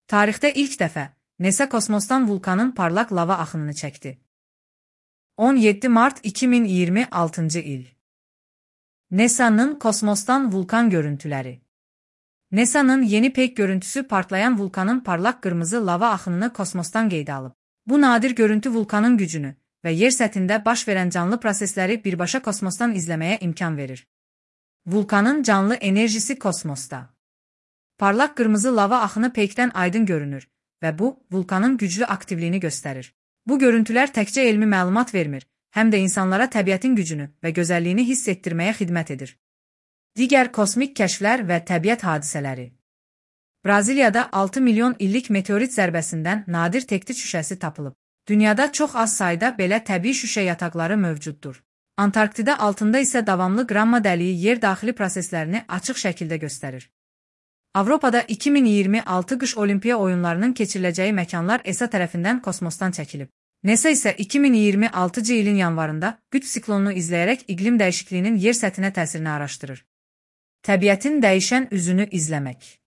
Tarixdə ilk dəfə NASA kosmosdan vulkanın parlaq lava axınını çəkdi. 17 mart 2026-cı il. NASA'nın kosmosdan vulkan görüntüləri. NASA'nın yeni peyk görüntüsü partlayan vulkanın parlaq qırmızı lava axınını kosmosdan qeydə alıb. Bu nadir görüntü vulkanın gücünü və yer səthində baş verən canlı prosesləri birbaşa kosmosdan izləməyə imkan verir. Vulkanın canlı enerjisi kosmosda. Parlaq qırmızı lava axını peykdən aydın görünür və bu, vulkanın güclü aktivliyini göstərir. Bu görüntülər təkcə elmi məlumat vermir, həm də insanlara təbiətin gücünü və gözəlliyini hiss etdirməyə xidmət edir. Digər kosmik kəşflər və təbiət hadisələri. Braziliyada 6 milyon illik meteorit zərbəsindən nadir tektit şüşəsi tapılıb. Dünyada çox az sayda belə təbii şüşə yataqları mövcuddur. Antarktida altında isə davamlı qramma dəliyi yer daxili proseslərini açıq şəkildə göstərir. Avropada 2026 qış olimpiya oyunlarının keçiriləcəyi məkanlar ESA tərəfindən kosmosdan çəkilib. NASA isə 2026-cı ilin yanvarında qütb siklonunu izləyərək iqlim dəyişikliyinin yer səthinə təsirini araşdırır. Təbiətin dəyişən üzünü izləmək.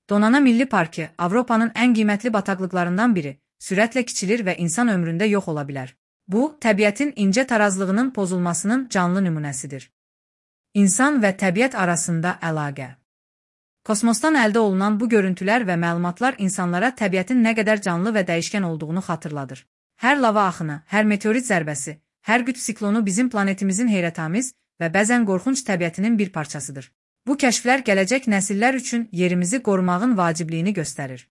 Donana Milli Parkı Avropanın ən qiymətli bataqlıqlarından biri, sürətlə kiçilir və insan ömründə yox ola bilər. Bu, təbiətin incə tarazlığının pozulmasının canlı nümunəsidir. İnsan və təbiət arasında əlaqə. Kosmosdan əldə olunan bu görüntülər və məlumatlar insanlara təbiətin nə qədər canlı və dəyişkən olduğunu xatırladır. Hər lava axını, hər meteorit zərbəsi, hər qütb siklonu bizim planetimizin heyrətamiz və bəzən qorxunc təbiətinin bir parçasıdır. Bu kəşflər gələcək nəsillər üçün yerimizi qorumağın vacibliyini göstərir.